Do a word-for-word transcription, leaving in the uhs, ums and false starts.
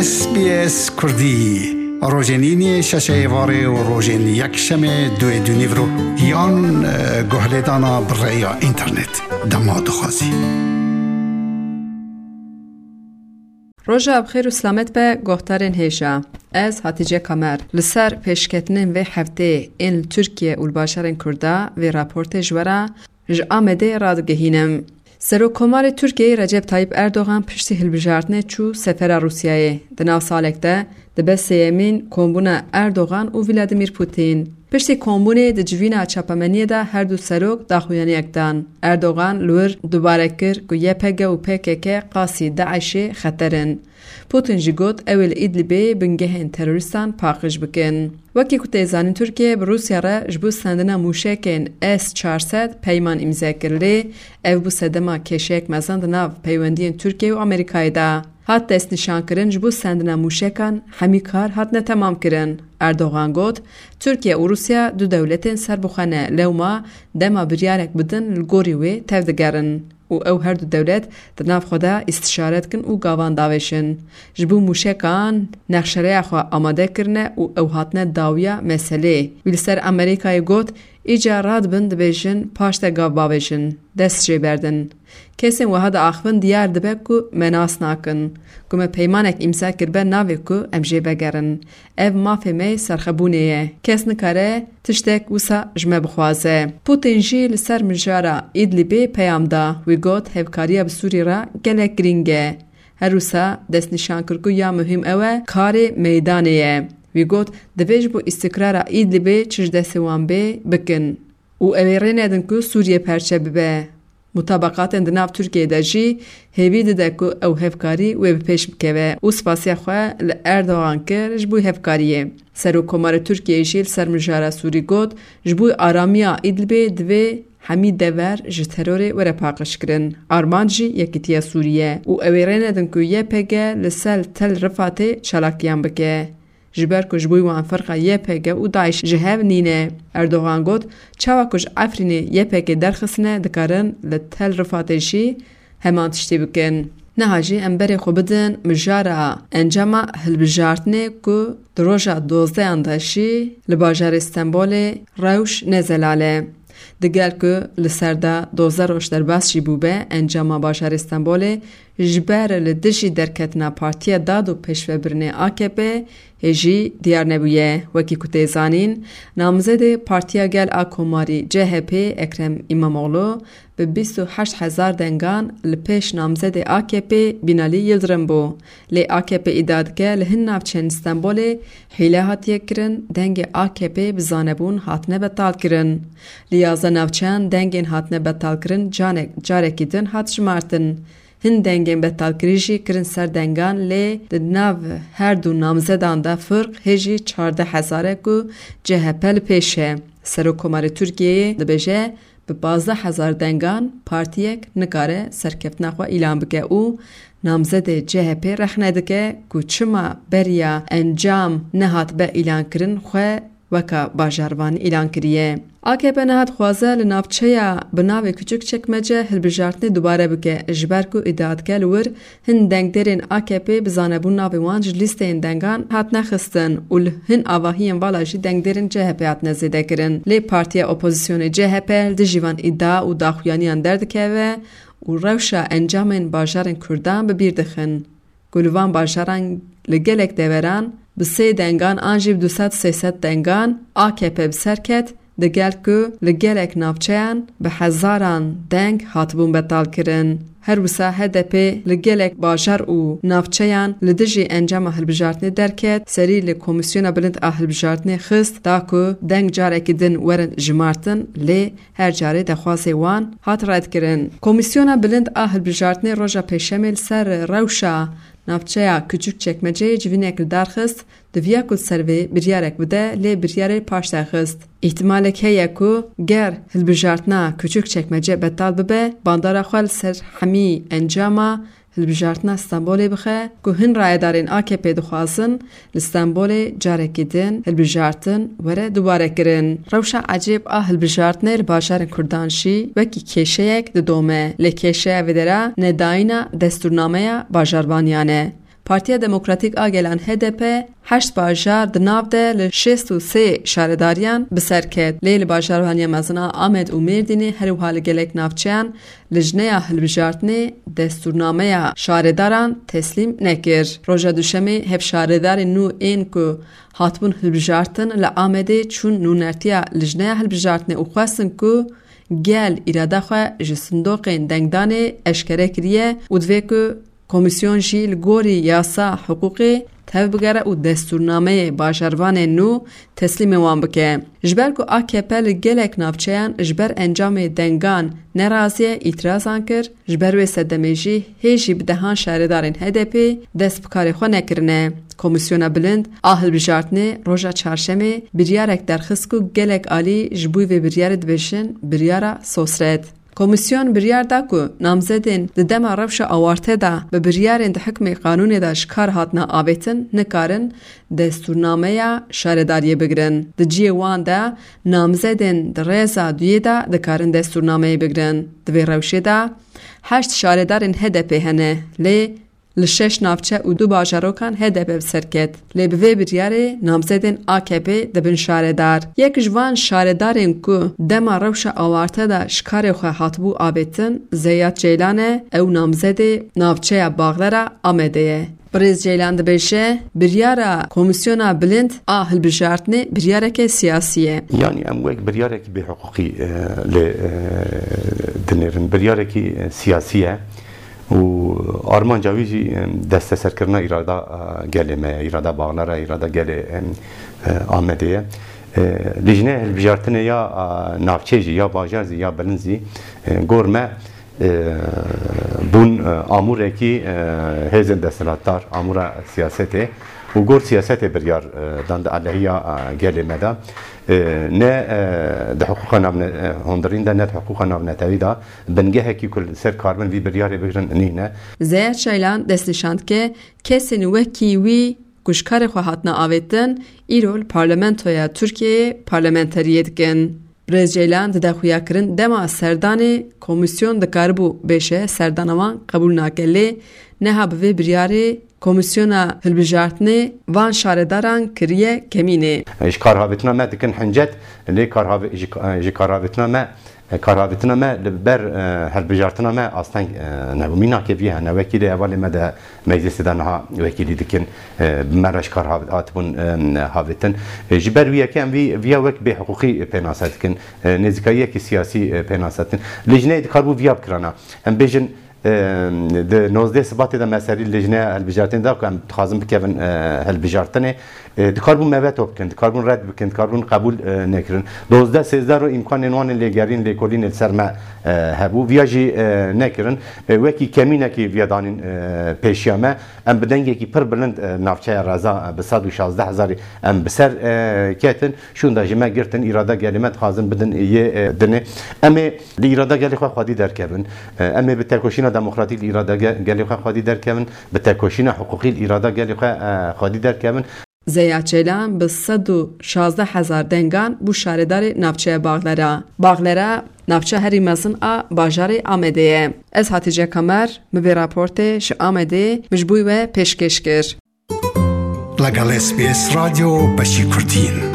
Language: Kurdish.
S B S Kurdî, rojên îniyê şeşê êvarê û rojên yekşemê duê dûnîvro yan, e, guhlêdana bi rêya înternet. Dema dixwazî. Roja bi xêr û silamet be, guhdarên hêja. Ez Hatice Kamer. Li ser pêşketinên vê hefteyê ên li Tirkiye û li bajarên Kurda vê raportê ji we re ji Amedê radigihînim. Serokkomarê Tirkiyeyê Recep Tayyip Erdogan piştî hilbijartinê çû sefera Rûsyayê. Di nav salek de dibe sêyemîn kombûna Erdogan û Vladimir Putin. Piştî kombûnê di civîna çapemeniyê de her du serok daxuyaniyek dan. Erdogan li wir dubare kir ku Y P G û P K K qasî DAIŞê xeter in. Putin jî got, ew ê li Îdlibê bingehên terorîstan paqij bikin. Wekî ku tê zanîn, Tirkiye bi Rûsya re ji bo sendina mûşekên S çar sed peyman îmze kir, lê ev bû sedema kêşeyek mezin di nav peywendiyên Tirkiye û Amerîkayê de. Hat destnîşankirin, ji bo sendina mûşekan hemî kar hatine temamkirin. Erdogan got, Tirkiye û Rûsya du dewletên serbixwe ne, lewma dema biryarek bidin li gorî wê tevdigerin. Û ew her du dewlet di nav xwe de îstişare dikin û gavan davêjin. Ji bo mûşekan nexşereya xwe amade kirine û ew hatine dawiya meselê. Wî li ser Amerîkayê got, îca radibin dibêjin paş de gav bavêjin, dest jê berdin. Kesên wiha diaxivin diyar dibe ku me nas nakin, ku me peymanek îmza kiribe navê ku em jê vegerin. Ev mafê me yê serxwebûnê ye. Kes nikare tiştek wisa ji me bixwaze. Putin jî li ser mijara Îdlibê peyam da. Wî got, hevkariya bi Sûrî re gelek girîng e. Her wisa destnîşan kir ku ya muhîm ew e karê meydanê ye. Wî got, divê ji bo îstikrara Îdlibê çi ji destê wan bê bikin. Û ew ê rê nedin ku Sûriye perçe bibe. Mutabaqatên di nav Tirkiyeyê de jî hêvî dide ku ew hevkarî wê bi pêş bikeve û spasiya xwe li Erdogan kir ji bo hevkariyê. Serokkomarê Tirkiyeyê jî li ser mijara Sûrî got, ji bo aramiya Îdlibê divê hemî dever ji terorê were paqijkirin. Armanc jî yekîtiya Sûrî ye û ew ê rê nedin ku Y P G li ser Tel Rifatê çalakiyan bike. Ji ber ku ji bo wan firqa Y P G û DAIŞ ji hev nîne. Erdogan got, çawa ku ji Efrînê Y P G derxistine, dikarin li Tel Rifatê jî heman tiştî bikin. Niha jî em berê xwe bidin mijara encama hilbijartinê ku di roja dozdehan de jî li bajarê Stenbolê rewş ne zelal e. Digel ku li ser de dozdeh roj derbas jî bûbe, encama bajarê Stenbolê ji ber li dijî derketina Partiya Dad û Pêşvebirinê A K P hê jî diyar nebûye. Wekî ku tê zanîn, namzedê Partiya Gel a Komarî C H P Ekrem Îmamoğlu bi bîst û heşt hezar dengan li pêş namzedê A K P Binalî Yildirim bû. Lê A K P îdia dike, li hin navçeyên Stenbolê hîle hatiye kirin, dengê A K P bi zanebûn hatine betalkirin. Li yazdeh navçeyan dengên hatine betalkirin canek, carekî din hat jimartin. Hin dengên betalkirî jî kirin ser dengan, lê di nav her du namzedan de firq hê jî çardeh hezar e ku C H P li pêş e. Serokkomarê Tirkiyeyê dibêje, bi pazdeh hezar dengan partiyek nikare serkeftina xwe îlan bike û namzedê C H P rexne dike ku çima beriya encam nehatibe îlankirin xwe weka bajarvanî îlan kiriye. A K P niha dixwaze li navçeya bi navê Küçükçekmece hilbijartinê dubare bike, ji ber ku îdia dike li wir hin dengdêrên A K P bi zanebûn navê wan ji lîsteyên dengan hatine xistin û li hin avahiyên vala jî dengdêrên C H P hatine zêdekirin. Lê partiya opozisyonê C H P li dijî van îdia û daxuyaniyan derdikeve û rewşa encamên bajarên Kurdan bi bîr dixin. Ku li van bajaran li gelek deveran bi sê dengan an jî bi du sed sê sed dengan A K P bi ser ket, digel ku li gelek navçeyan bi hezaran deng hatibûn betalkirin. Her wisa H D P li gelek bajar û navçeyan li dijî encama hilbijartinê derket, serî li Komîsyona Bilind a Hilbijartinê xist, da ku deng carekî din werin jimartin, lê her carê daxwazê wan hat redkirin. Komîsyona Bilind a Hilbijartinê roja Pêşemê li ser rewşa navçeya Küçükçekmeceyê civînek li dar xist, diviya ku li ser vê biryarek bide, lê biryarê paşde xist. Îhtimalek heye ku ger hilbijartina Küçükçekmece betal bibe, bandora xwe li ser hemî encama hilbijartina Stenbolê bixe ku hin rayedarên A K P dixwazin li Stenbolê carekî din hilbijartin were dubare kirin. Rewşa ecêb a hilbijartinê li bajarên Kurdan jî wekî kêşeyek didome. Lê kêşeya vê dera nedayîna destûrnameya bajarvaniyan e. Partiya Demokratîk a Gelan H D P heşt bajar di nav de li şêst û sê şaredariyan bi ser ket. Lê li bajarvaniya mezin a Amed û Mêrdînê, her wiha li gelek navçeyan, Lijneya Hilbijartinê destûrnameya şaredaran teslîm nekir. Roja Duşemê hevşaredarên nû ên ku hatibûn hilbijartin li Amedê çûn nûnertiya Lijneya Hilbijartinê û xwestin ku gel îrada xwe ji sindoqên dengdanê eşkere kiriye û divê ku komîsyon jî li gorî yasa hiqûqê tev bigere û destûrnameyê bajarvanên nû teslîmê wan bike. Ji ber ku A K P li gelek navçeyan ji ber encamê dengan nerazî ye, îtirazan kir, ji ber wê sedemê jî hê jî bi dehan şaredarên H D P dest bi karê xwe nekirine. Komîsyona Bilind a Hilbijartinê roja Çarşemê biryarek derxist ku gelek alî ji bo vê biryarê dibêjin biryara sosret. Komîsyon biryar da ku namzedên di dema rewşa awarte de bi biryarên di hikmê qanûnê de ji kar hatine avêtin nikarin destûrnameya şaredariyê bigirin. Di cihê wan de namzedên di rêza duyê de dikarin destûrnameyê bigirin. Di vê rewşê de heşt şaredarên H D P hene, lê li şeş navçe û du bajarokan H D P bi ser ket. Lê bi vê biryarê namzedên A K P dibin şaredar. Yek ji van şaredarên ku dema rewşa awarte de ji karê xwe hatibû avêtin, Zeyat Ceylan e, ew namzedê navçeya Baxlera Amedê ye. Birêz Ceylan dibêje, biryara Komîsyona Bilind a Hilbijartinê biryareke siyasî ye. Yanî em wek biryarekî bêhiqûqî, e, lê, e, dinêrin. Biryarekî, e, siyasî ye û armanca wî jî, e, desteserkirina îrada, e, gelê me ye, îrada Baxlera, îrada gelê, e, e, Amedê ye. E, Lijneya Hilbijartinê ya, e, navçe jî, ya bajar zî, ya bilind zî, e, gor me, e, bûn, e, amûrekî, e, hêzên desthilatdar, amûra siyasetê û gor siyasetê biryar, e, dan di alehiya, e, gelê me de. E, ne, e, di hiqûqa navne-, e, hundirîn de, ne di hiqûqa navnetewî de bingehekî ku li ser karibin vî biryarê bigirin nîne. Zeyat Ceylan destnîşan dike, kesên wekî wî ku ji karê xwe hatine avêtin, îro li Parlamentoya Tirkiyeyê parlamenteriyê dikin. Birêz Ceylan dide xuyakirin dema serdanê komîsyon dikaribû bêje serdana wan qebûl nake, lê niha bi vê biryarê Komîsyona Hilbijartinê van şaredaran kiriye kemînê. Ji karhavêtina me dikin hincet, lê karhavê-, ji, ji karhavêtina me, karhavêtina me li ber, e, hilbijartina me asteng, e, nebû. Mînakê vî hene, wekîlê hevalê me de meclisê de niha wekîlî dikin, e, bi me re ji kar hav-, hatibûn, e, havêtin. E, ji ber wî yekê em vî, viya wek bêhiqûqî pênase dikin, e, nêzîkayiyekî siyasî, e, pênase dikin. Lijneyê dikaribû viya bikirana. Em bêjin, e, di nozdeh Sibatê de me serî lijneya hilbijartinê da ku em dixwazin bikevin, e, hilbijartinê. E, dikaribûn me veto bikin, dikaribûn red bikin, dikaribûn qebûl, e, nekirin. Dozdeh sêzdeh roj îmkanên wan ên lêgerîn, lêkolînê li ser me, e, hebû. Viya jî, e, nekirin. E, wekî kemînekî viya danîn, e, pêşiya me. Em bi dengekî pir bilind, e, navçeya Reza, e, bi sed û şazdeh hezarî em bi ser, e, ketin. Şûnda ji me girtin, îrada gelê me dixwazin bidin yê, e, dinê. Em ê li îrada gelê xwe xwedî derkevin. E, em ê bi tekoşîna demokratîk li îrada ge-, gelê xwe xwedî derkevin, bi tekoşîna hiqûqî li îrada gelê xwe, e, xwedî derkevin. Zeya Çeylan bi sed û şazdeh hezar dengan bû şaredarê navçeya Baxlera. Baxlera navçeya herî mezin a bajarê Amedê ye. Ez Hatice Kamer, min vê raportê ji Amedê ji bo we pêşkêş kir. لەگەڵ S B S رادیۆ بەشی کوردین.